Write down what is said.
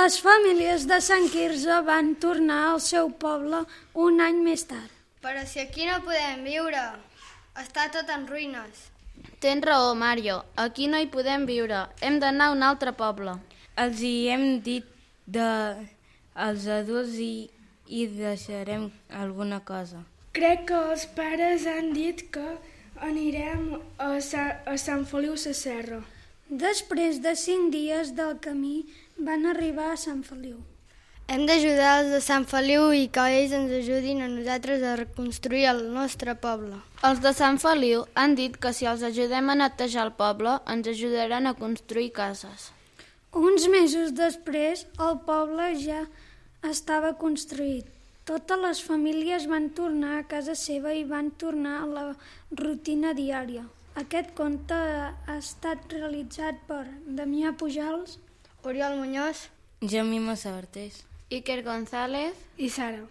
Les famílies de Sant Quirze van tornar al seu poble un any més tard. Però si aquí no podem viure, està tot en ruïnes. Tens raó, Mario, aquí no hi podem viure, hem d'anar a un altre poble. Els hi hem dit als adults i deixarem alguna cosa. Crec que els pares han dit que anirem a Sant Feliu Sasserra. Després de 5 dies del camí van arribar a Sant Feliu. Hem d'ajudar els de Sant Feliu i que ells ens ajudin a nosaltres a reconstruir el nostre poble. Els de Sant Feliu han dit que si els ajudem a netejar el poble, ens ajudaran a construir cases. Uns mesos després, el poble ja estava construït. Totes les famílies van tornar a casa seva i van tornar a la rutina diària. Aquest conte ha estat realitzat per Damià Pujals, Oriol Muñoz, Jaume Massabartés, Iker González I Sara.